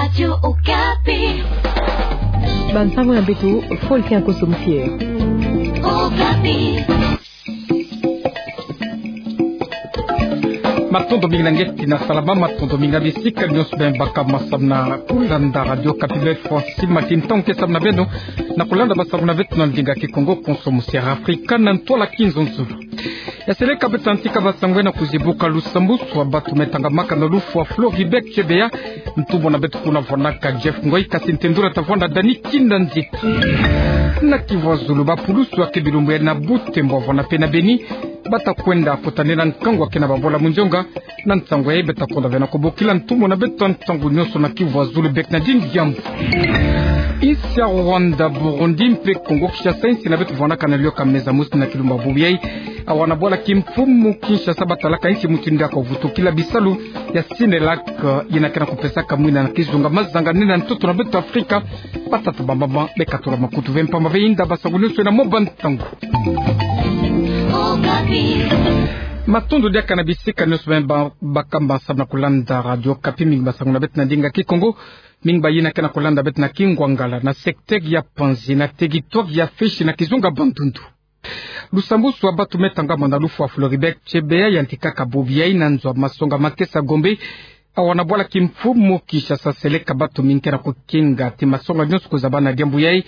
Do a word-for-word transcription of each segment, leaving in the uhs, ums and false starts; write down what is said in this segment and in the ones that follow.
Radio Okapi. Bansango ya mbeto, Faustin Nkoso Mfier. Okapi. Matondo mingi na ngetina salama, matondo mingi na bisika nyonso beno baka masamna kulanda Radio Okapi. Beno fwa nsima ti ntangu ke samu na beno na kulanda basango na beto na ndinga Kikongo, konso mu Sierra Africa, na ntwala Kinzonzolo. Ya seleka beto yantika basango na kuzibuka lusambwasu ya batu me tangamaka na lufwa Floribert Chebeya. Ntumwa na beto kuna vwanaka Jeff Ngoy, kasi ntendula tavwanda Dani Kinda Nzita. Na Kivu ya Zulu, bapulusu ya ke bilumbu ya na Butembo, vwana pe na Beni, bata kwenda kutanina nkangu ya ke na babola mu nzonga. Na nsangu yayi beta konda ve na kubokila ntumwa na beto ntangu nyonso na Kivu ya Zulu, bek na dindi diambu. Insi ya Rwanda, Burundi mpe Kongo Kinshasa, insi na beto vwanaka na liyoka meza mosi na kilumba bubu yayi. Awa na bwala kimfumu Kinshasa batalaka insi mutindu ya kuvutukila bisalu ya Sinelak, yina ke na kupesaka mwina na kizunga mazanga nene ya ntoto na beto Afrika. Batata, bamama, bekatula makutu ve mpamba ve, yinda basango nyonso na mwa bantangu. Matondo diaka na bisika nyonso beno ba-, baka masamna kulanda Radio Okapi. Mingi basango na beto na ndinga Kikongo, mingi bayina ke na kulanda beto na Kingwangala, na secteur ya Panzi, na territoire ya Fishi, na kizunga Bandundu. Lusambwasu ya batu me tangama na lufwa Floribert Chebeya yantikaka bubu yayi na nzo ya masonga Makesa Gombe, awa na bwala kimfumu Kinshasa. Seleka batu mingi ke na kukinga ti masonga nyonso kuzaba na diambu yayi.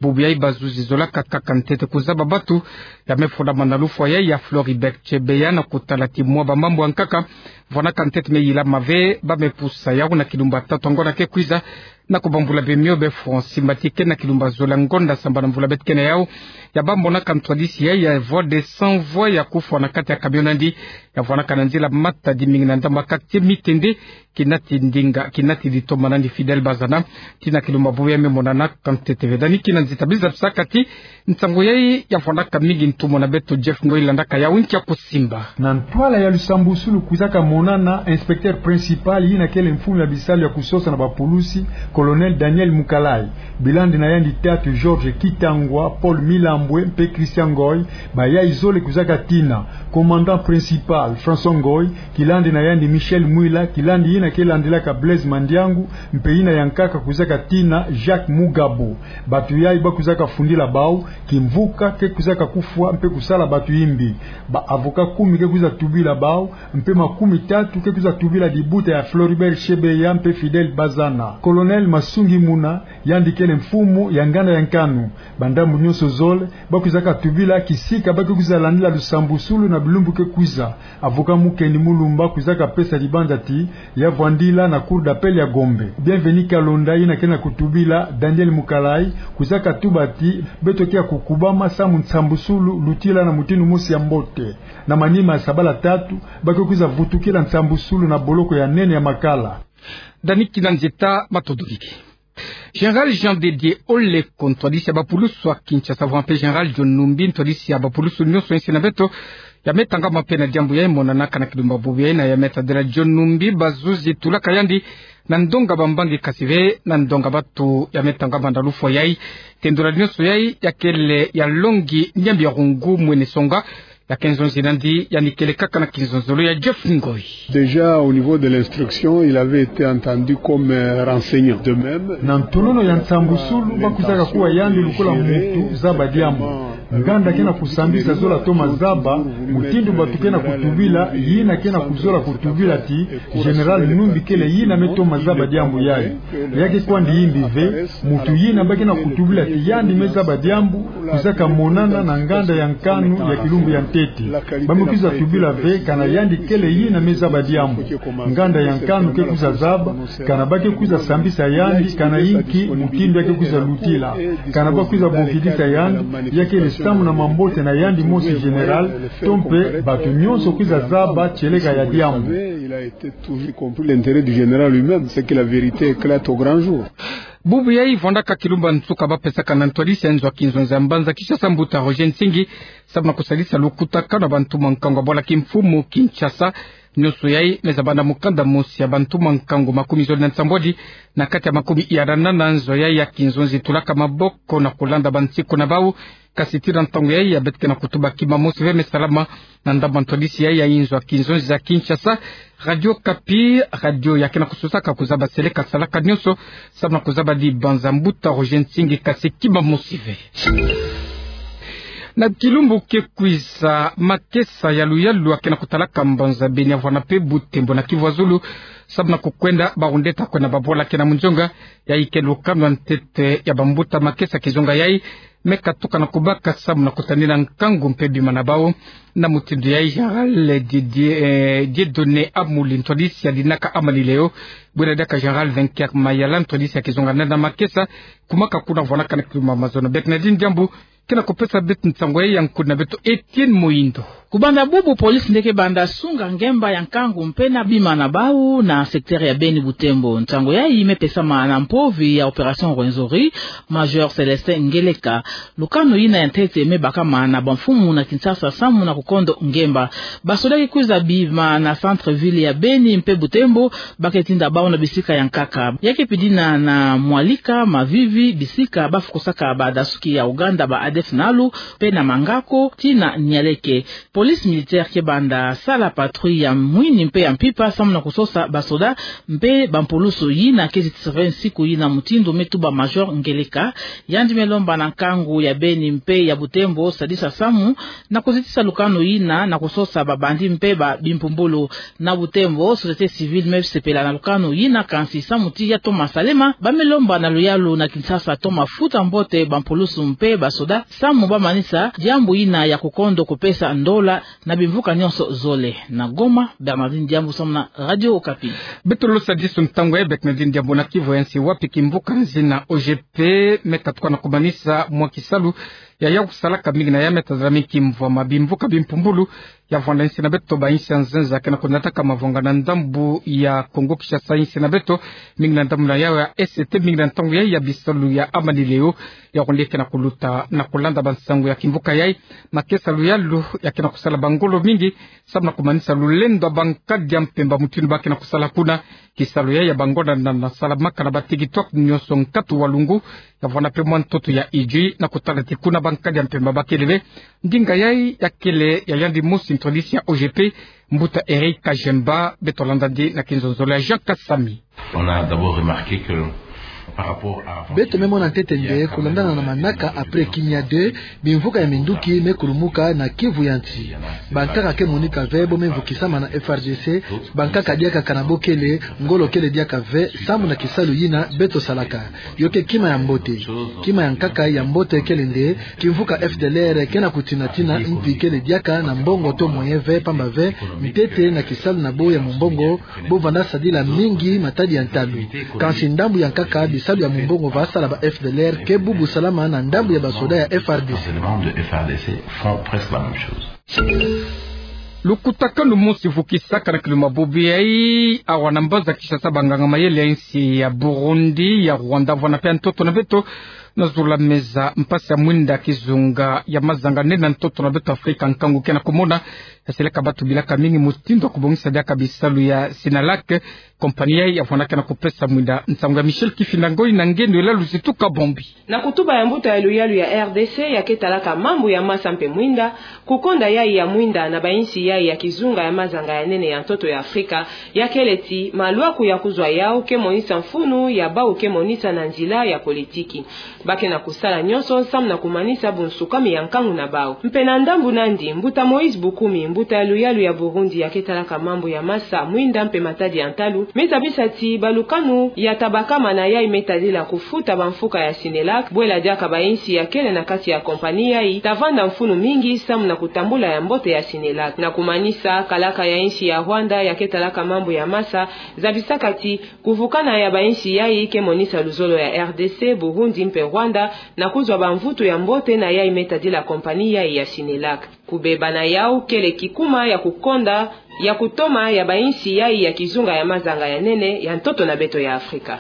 Bubu yayi bazuzi zolaka kaka ntete kuzaba batu ya me fondama na lufwa yayi ya Floribert Chebeya, na kutala ti mwa bamambu ya nkaka vwanaka ntete me yilama ve, ba me pusa yawu na kilumba tatu ya ngonda ke kwiza, na kubambula beno mio beno fwa nsima ti ke na kilumba zola ngonda sambanu ya mvula beto ke na yawu, ya ba monaka ntwadisi yayi ya Voix des Sans Voix ya kufwa na kati ya camion na yandi, ya vwanaka na nzila Matadi mingi na ndambu ya quartier Mitende, kinati ndinga, kinati ditoma na yandi Fidèle Bazana. Ti na kilumba bubu yayi me monanaka ntete ve. Dani Kinda Nzita, biza bisaka ti nsangu yayi ya vwanaka mingi, ntumwa na beto Jeff Ngoy landaka yawu nkia kusimba. Na ntwala ya lusambwasulu kwizaka monana inspecteur principal yina kele mfumu ya bisalu ya kusosa na bapulusi, colonel Daniel Mukalayi. Bilandi na yandi tatu Georges Kitangwa, Paul Milambwe mpe Christian Ngoy, bayayi zole kwizaka tina. Commandant principal François Ngoy, kilandi na yandi Michel Mwila, kilandi yina ke landilaka Blaise Mandiangu, mpe yina ya nkaka kwizaka tina Jacques Mugabo. Batu yayi ba kwizaka fundila bawu, kimvuka ke kwizaka kufwa mpe kusala batu yimbi. Ba avocat kumi ke kwiza tubila bawu, mpe makumi tatu ke kwiza tubila dibuta ya Floribert Chebeya mpe Fidèle Bazana. Colonel Masungi Muna, yandi kele mfumu ya nganda ya Nkanu. Bandambu nyonso zole, ba kwizaka tubila kisika ba ke kwiza landila lusambwasulu na bilumbu ke kwiza. Avocat Mukendi Mulumba kwizaka pesa dibanza ti ya vwandila na Cour d'appel ya Gombe. Bienvenu Kalonda, yina ke na kutubila Daniel Mukalayi, kwizaka tuba ti beto ke ya kukubama samu nsambwasulu lutila na mutindu mosi ya mbote. Na manima ya sabala tatu, ba ke kwiza vutukila nsambwasulu na boloko ya nene ya Makala. Dani Kinda Nzita, matondo mingi. Général Jean de Dieu Oleko, ntwadisi ya bapulusu ya Kinshasa, vwa mpe Général John Numbi, ntwadisi ya bapulusu nyonso insi na beto, ya me tangama mpe na diambu yayi monanaka na kilumba bubu yayi, na ya me tadila John Numbi, bazuzi tulaka yandi na ndonga bambangi, kasi ve na ndonga batu ya me tangama na lufwa yayi. Tendula nyonso yayi ya kele ya Longi Nyambi ya Rungu, mwene songa, ya ke nzonzi na yandi, yandi kele kaka na kinzonzolo ya Jeff Ngoy. Déjà, au niveau de l'instruction, il avait été entendu comme, euh, renseignant. De même, na ntonono ya nsambusulu, ba kwizaka kuwa yandi lokola muntu zaba diambu. Nganda ke na kusambisa zola toma zaba mutindu batu ke na kutubila, yina ke na kuzola kutubila ti Général Numbi kele yina me toma zaba diambu yayi. Ya ke kwandi yimbi ve, muntu yina ba ke na kutubila ti yandi me zaba diambu, kwizaka monana na nganda ya nkanu ya kilumbu ya ntete. Ba me kwiza tubila ve kana yandi kele yina me zaba diambu. Nganda ya nkanu ke kwiza zaba kana ba ke kwiza sambisa yandi, kana inki mutindu ya ke kwiza lutila, kana ba kwiza bokidisa yandi, ya kele samu na mambote na yandi mosi Général, to mpe batu nyonso kwiza zaba tieleka ya diambu. Il a été toujours, y compris l'intérêt du général lui-même, c'est que la vérité éclate au grand jour. Bubu yayi vwandaka kilumbu ya nsuka ba pesaka na ntwadisi ya nzo ya kinzonzi ya mbanza Kinshasa, mbuta Roger Nsingi, samu na kusalisa lukutakanu ya bantu mwa nkangu ya bwala kimfumu Kinshasa, Nyonso yai me zabanda mukanda mosi ya bantuma nkangu makumi zole na nsambwadi na kati ya makumi ya nana nzo yai ya kinzonzi tulaka maboko na kulanda bansi kuna bau. Kasi tii na ntangu yai ya beto ke na kutuba kima mosi ve me salama na ndambu ya ntwadisi yai ya inzo ya kinzonzi ya Kinshasa. Radio Okapi, radio ya ke na kususaka kuzaba seleka salaka nyonso samu na kuzabadi banza mbuta Roger Nsingi, kasi kima mosi ve. Na kilumbu ke kwiza, makesa ya luyalu ya ke na kutalaka mbanza Beni, Havana mpe Butembo na Kivu ya Zulu samu na kukwenda barundeta kwenda babwala ke na munzonga. Yai ke lukanu ya ntete ya bambuta makesa kizunga yai me katuka na kubaka samu na kutanina nkangu mpe bima na bau. Na mutindu yai, Général Didier, eh, Dieudonné Amuli, ntwadisi ya dinaka Amani Léo, bwena diaka Général Vainqueur Mayala, ntwadisi ya kizunga nana makesa, kumaka kuna vwanakana kiluma mazono. Bernardine Diambu ke na kupesa beto nsangu yai ya nkudi na beto Etienne Moindo. Kubanda bubu, polisi nde ke banda sunga ngemba ya nkangu mpe na bima na bau na secteur ya Beni Butembo. Nsangu yai me pesama na mpovi ya Opération Rwenzori, Major Célestin Ngeleka. Lukanu yina ya ntete me bakama na bamfumu na Kinshasa samu na kukondo ngemba. Basoda ke kwiza bima na centre-ville ya Beni mpe Butembo, ba ke tinda bau na bisika ya nkaka. Ya ke pidina na Mwalika, Mavivi, bisika ba fukusaka badasuki ya Ouganda ba A D F nalu, mpe na Mangako tii na Nialeke. Police militaire ke banda sala patrouille ya mwini mpe ya mpimpa samu na kusosa basoda mpe bampulusu. Yina ke zitisa ve nsiku yina, mutindu me tuba Major Ngeleka. Yandi me lomba na nkangu ya Beni mpe ya Butembo sadisa samu na kuzitisa lukanu yina na kusosa babandi mpe ba bimpumbulu. Na Butembo, société civile me sepela na lukanu yina, kansi samu tii ya toma salema, ba me lomba na luyalu na Kinshasa toma futa mbote bampulusu mpe basoda samu ba manisa diambu yina ya kukondo kupesa ndola na bimvuka nyonso zole. Na Goma, Bernardine Diambu samu na Radio Okapi. Beto losa disu ntangu yai, Bernardine Diambu, na Kivu ya nsi, wapi kimvuka nzina O G P me katuka na kumanisa mwa kisalu ya yau kusalaka, mingi na yai me tazalami kimvwama. Bimvuka bimpumbulu ya vwanda insi na beto, ba insi ya nzenza ke na kunataka mavwanga na ndambu ya Kongo Kinshasa, insi na beto, mingi na ndambu na yau ya S T, mingi na ntangu yai ya bisalu ya Amani Léo, ya konde ke na kuluta na kulanda bansangu ya kimvuka yai. Makesa luyalu ya ke na kusala bangolo mingi samu na kumanisa lulendo ya bankadi ya mpemba mutindu ba ke na kusala kuna. Kisalu yai ya bangonda na, na salamaka na ba TikTok nyonso nkatu wa lungu, ya vwanda mpe mwa ntoto ya Idjwi, na kutala ti kuna bankadi ya mpemba ba kele ve. Ndinga yai ya kele ya yandi mosi, ntwadisi ya O G P, mbuta Eric Kajemba. Beto landa ndi na kinzonzolo ya Jean Kasami. On a d'abord remarqué que par rapport à... Beto me mona ntete nde, kulandana na manaka après Kimia deux, bimvuka ya minduki me kulumuka na Kivu ya nsi. Bankaka ke monika ve bo me mvukisama na F R D C, bankaka diaka kana bo kele, ngolo kele diaka ve samu na kisalu yina beto salaka. Yo ke kima ya mbote. Kima ya nkaka ya mbote kele nde, kimvuka F D L R ke na kutinatina mpi kele diaka na mbongo to moyen ve, pamba ve ntete na kisalu na bo ya mumbongo, bo vanda sadila mingi matadi ya ntalu. Kansi ndambu ya nkaka, bisalu ya mumbongo va sala ba F D L R ke bubu salama na ndambu ya basoda ya F R D C. Les éléments de F R D C font presque la même chose. Lukutakanu mosi vukisaka na kiluma bubu yai, awa na mbanza Kinshasa, banganga mayele ya insi ya Burundi, ya Rwanda, vwanda mpe ya ntoto na beto, na zula meza mpasi ya mwinda kizunga ya mazanga nene na ntoto na beto Afrika, nkangu ke na kumona ya seleka batu bilaka mingi mutindu wa kubongisa diaka bisalu ya Sinalac. Kompani yai ya vwandaka na kupesa mwinda. Nsangu ya Michel Kifinda Ngoi na Ngendu Elalu Zituka Bombi. Na kutuba ya mbuta ya luyalu ya R D C ya ke talaka mambu ya masa mpe mwinda, kukonda yai ya mwinda na ba insi yai ya kizunga ya mazanga ya nene ya ntoto ya Afrika, ya kele ti malwaku ya kuzwa yau ke monisa mfunu ya bau ke monisa na nzila ya politiki. Ba ke na kusala nyonso samu na kumanisa bunsukami ya nkangu na bau. Mpe na ndambu nandi, mbuta Moïse Bukumi, mbuta ya luyalu ya Burundi ya ke talaka mambu ya masa, mwinda mpe matadi ya ntalu, me zabisa ti balukanu ya tabakama na yai me tadila kufuta bamfuka ya Sinelac, bwela diaka ba insi ya kele na kati ya kompani yai ta vanda mfunu mingi samu na kutambula ya mbote ya Sinelac. Na kumanisa, kalaka ya insi ya Rwanda ya ke talaka mambu ya masa, zabisaka ti kuvukana ya ba insi yai ke monisa luzolo ya R D C, Burundi mpe Rwanda na kuzwa bamvutu ya mbote na yai me tadila kompani yai ya Sinelac. Kubeba na yau kele kikuma ya kukonda ya kutoma ya ba insi yai ya kizunga ya mazanga ya nene ya ntoto na beto ya Afrika.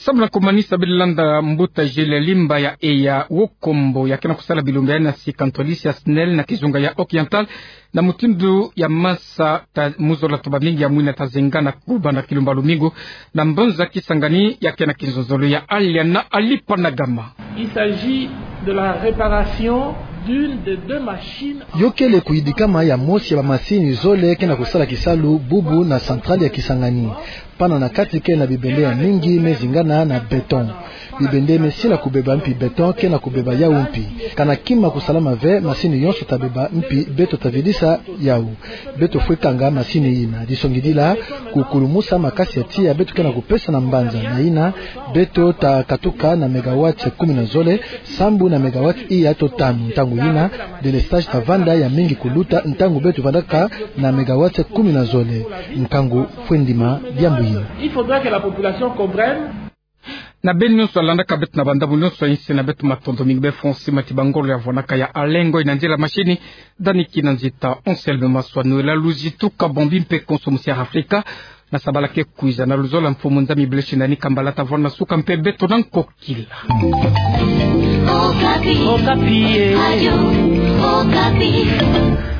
Sambula komanisa biri landa mbuta Jules Limba ya eya Wokombo ya ke na kusala bilumbu ya na si kantolisi ya SNEL na kizunga ya Occidental, na mutindu ya masa ta muzola to bamingi ya mwina ta zinga na kuba na kilumba lumingu, na mbanza Kisangani ya ke na kinzonzolo ya Alia na Alipa na Gama. Il s'agit de la réparation d'une des deux machines. Yo kele kuyidikama ya mosi ya bamasini zole ke na kusala kisalu bubu na centrale ya Kisangani. Pana na kati ke na bibende ya mingi me zingana na béton. Bibende me sila kubeba mpi béton ke na kubeba yau mpi. Kana kima kusalama ve, masini yonso ta beba mpi beto ta vidisa yau. Beto fwe kanga masini yina. Disongidila kukulumusa makasi ya tiya beto ke na kupesa na mbanza. Na yina, beto ta katuka na mégawatts kumi na zole, sambu na mégawatts iya to tanu. Ntangu yina, délestage ta vanda ya mingi kuluta ntangu beto vandaka na mégawatts kumi na zole. Nkangu fwe ndima diambu yina. Il faudra que la population comprenne. Na beno nyonso landaka beto na bandambu nyonso ya insi, na beto matondo mingi. Bê Francis Matiba, ngolo ya vwanaka ya Alengo, ina nzila masini, Dani Kinanzita, Anselme Maswa, Noëlla Luzi, tuka bombi mpe konso musi ya Afrika. Na sabala ke kwiza, na luzolo ya Mfumu Nzambi, Blessing Ndani Kambala ta vwana suka mpe beto na nkokila. Okapi. Okapi, eh. Radio Okapi.